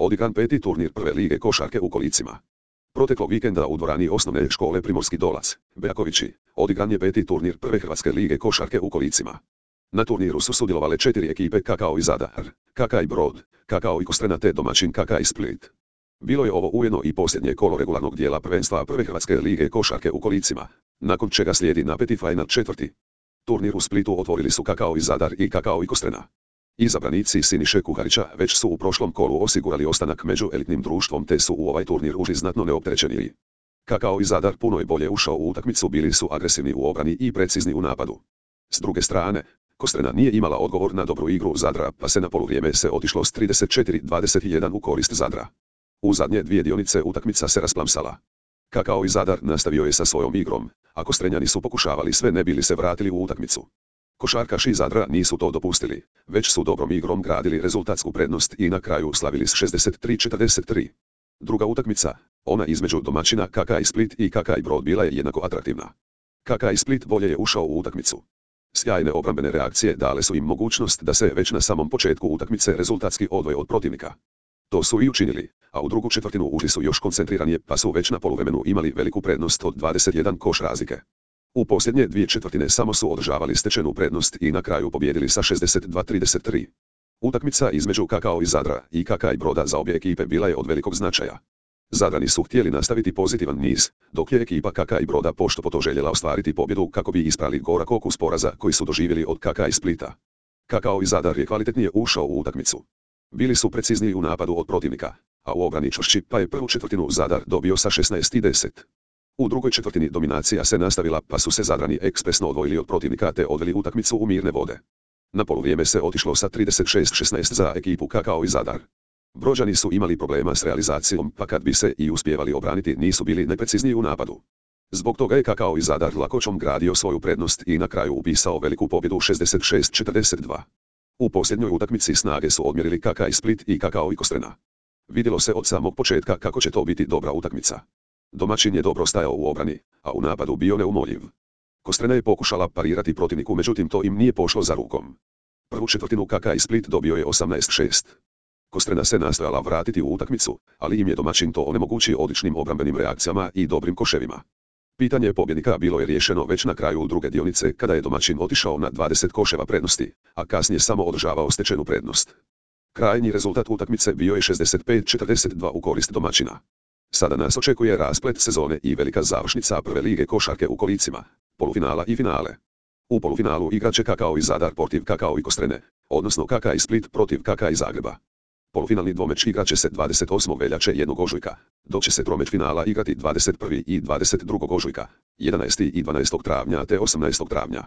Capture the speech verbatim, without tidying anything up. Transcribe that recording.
Odigran peti turnir prve lige košarke u kolicima. Proteklog vikenda u dvorani osnovne škole Primorski Dolac, Beakovići, odigran je peti turnir prve hrvatske lige košarke u kolicima. Na turniru su sudjelovale četiri ekipe K K O i Zadar, K K i Brod, K K O i Kostrena te domaćin K K i Split. Bilo je ovo ujedno i posljednje kolo regularnog dijela prvenstva prve hrvatske lige košarke u kolicima, nakon čega slijedi napeti final četvrti. Turnir u Splitu otvorili su K K O i Zadar i K K O i Kostrena. Izabranici Siniše Kuharića već su u prošlom kolu osigurali ostanak među elitnim društvom te su u ovaj turnir ušli znatno neopterećeniji. K K O i Zadar puno je bolje ušao u utakmicu, bili su agresivni u obrani i precizni u napadu. S druge strane, Kostrena nije imala odgovor na dobru igru Zadra pa se na poluvrijeme se otišlo s trideset četiri dvadeset jedan u korist Zadra. U zadnje dvije dionice utakmica se rasplamsala. K K O i Zadar nastavio je sa svojom igrom, a Kostrenjani su pokušavali sve ne bili se vratili u utakmicu. Košarkaši Zadra nisu to dopustili, već su dobrom igrom gradili rezultatsku prednost i na kraju slavili s šezdeset tri četrdeset tri. Druga utakmica, ona između domaćina K K i Split i K K i Brod, bila je jednako atraktivna. K K i Split bolje je ušao u utakmicu. Sjajne obrambene reakcije dale su im mogućnost da se već na samom početku utakmice rezultatski odvoje od protivnika. To su i učinili, a u drugu četvrtinu ušli su još koncentriranije pa su već na poluvremenu imali veliku prednost od dvadeset jedan koš razlike. U posljednje dvije četvrtine samo su održavali stečenu prednost i na kraju pobijedili sa šezdeset dva trideset tri. Utakmica između K K O i Zadra i K K i Broda za obje ekipe bila je od velikog značaja. Zadrani su htjeli nastaviti pozitivan niz, dok je ekipa K K i Broda pošto po to željela ostvariti pobjedu kako bi isprali gorak okus poraza koji su doživjeli od K K i Splita. K K O i Zadar je kvalitetnije ušao u utakmicu. Bili su precizniji u napadu od protivnika, a u obrani čvršći pa je prvu četvrtinu Zadar dobio sa šesnaest deset. U drugoj četvrtini dominacija se nastavila pa su se Zadrani ekspresno odvojili od protivnika te odveli utakmicu u mirne vode. Na poluvrijeme se otišlo sa trideset šest šesnaest za ekipu K K O i Zadar. Brođani su imali problema s realizacijom pa kad bi se i uspjevali obraniti nisu bili najprecizniji u napadu. Zbog toga je K K O i Zadar lakoćom gradio svoju prednost i na kraju upisao veliku pobjedu šezdeset šest četrdeset dva. U posljednjoj utakmici snage su odmjerili K K i Split i K K O i Kostrena. Vidjelo se od samog početka kako će to biti dobra utakmica. Domaćin je dobro stajao u obrani, a u napadu bio neumoljiv. Kostrena je pokušala parirati protivniku, međutim to im nije pošlo za rukom. Prvu četvrtinu K K i Split dobio je osamnaest šest. Kostrena se nastojala vratiti u utakmicu, ali im je domaćin to onemogućio odličnim obrambenim reakcijama i dobrim koševima. Pitanje pobjednika bilo je riješeno već na kraju druge dionice kada je domaćin otišao na dvadeset koševa prednosti, a kasnije samo održavao stečenu prednost. Krajnji rezultat utakmice bio je šezdeset pet četrdeset dva u korist domaćina. Sada nas očekuje rasplet sezone i velika završnica prve lige košarke u kolicima, polufinala i finale. U polufinalu igrat će K K O i Zadar protiv K K O i Kostrene, odnosno K K i Split protiv K K i Zagreba. Polufinalni dvomeč igrat će se dvadeset osmog veljače i jednog ožujka, dok će se tromeč finala igrati dvadeset prvog i dvadeset drugog ožujka, jedanaestog i dvanaestog travnja te osamnaestog travnja.